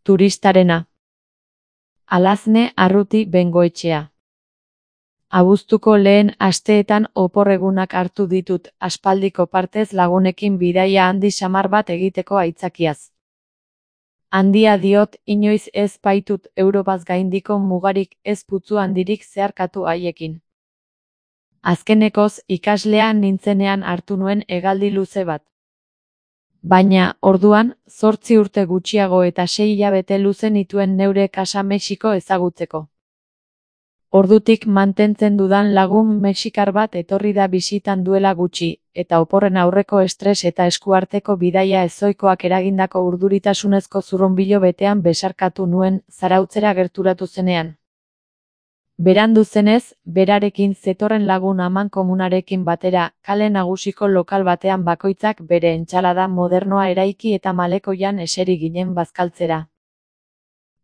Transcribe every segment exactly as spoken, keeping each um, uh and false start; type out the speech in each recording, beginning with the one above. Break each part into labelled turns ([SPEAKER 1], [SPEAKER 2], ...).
[SPEAKER 1] Turistarena. Alazne Arruti Bengoetxea. Abuztuko lehen asteetan opor-egunak hartu ditut, aspaldiko partez lagunekin bidaia handi samar bat egiteko aitzakiaz. Handia diot, inoiz ez baitut Europaz gaindiko mugarik ez putzu handirik zeharkatu haiekin. Azkenekoz, ikaslean nintzenean hartu nuen hegaldi luze bat. Baina, orduan, zortzi urte gutxiago eta sei hilabete luze nituen neure kasa Mexiko ezagutzeko. Ordutik mantentzen dudan lagun mexikar bat etorri da bisitan duela gutxi, eta oporren aurreko estres eta eskuarteko bidaia ezoikoak eragindako urduritasunezko zurrunbilo betean besarkatu nuen Zarautzera gerturatu zenean. Berandu zenez, berarekin zetorren lagun amankomunarekin batera, kale nagusiko lokal batean bakoitzak bere entsalada modernoa eraiki eta malekoian eseri ginen bazkaltzera.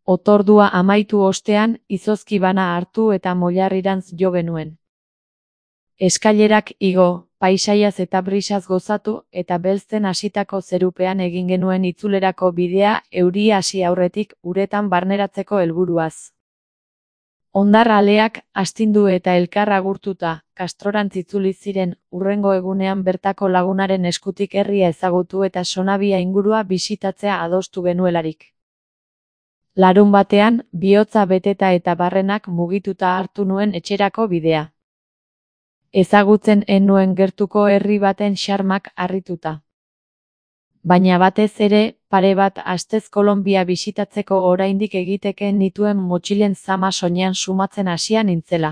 [SPEAKER 1] Otordua amaitu ostean, izozki bana hartu eta molarrirantz jo genuen. Eskailerak igo, paisaiaz eta brisaz gozatu, eta belzten hasitako zerupean egin genuen itzulerako bidea euria hasi aurretik uretan barneratzeko helburuaz. Hondar aleak astindu eta elkar agurtuta, Kastrorantz itzuli ziren, hurrengo egunean bertako lagunaren eskutik herria ezagutu eta Sonabia ingurua bisitatzea adostu genuelarik. Larun batean, bihotza beteta eta barrenak mugituta hartu nuen etxerako bidea. Ezagutzen ez nuen gertuko herri baten xarmak harrituta. Baina batez ere, pare bat astez Kolonbia bisitatzeko oraindik egiteke nituen motxilen zama soinean sumatzen hasia nintzela.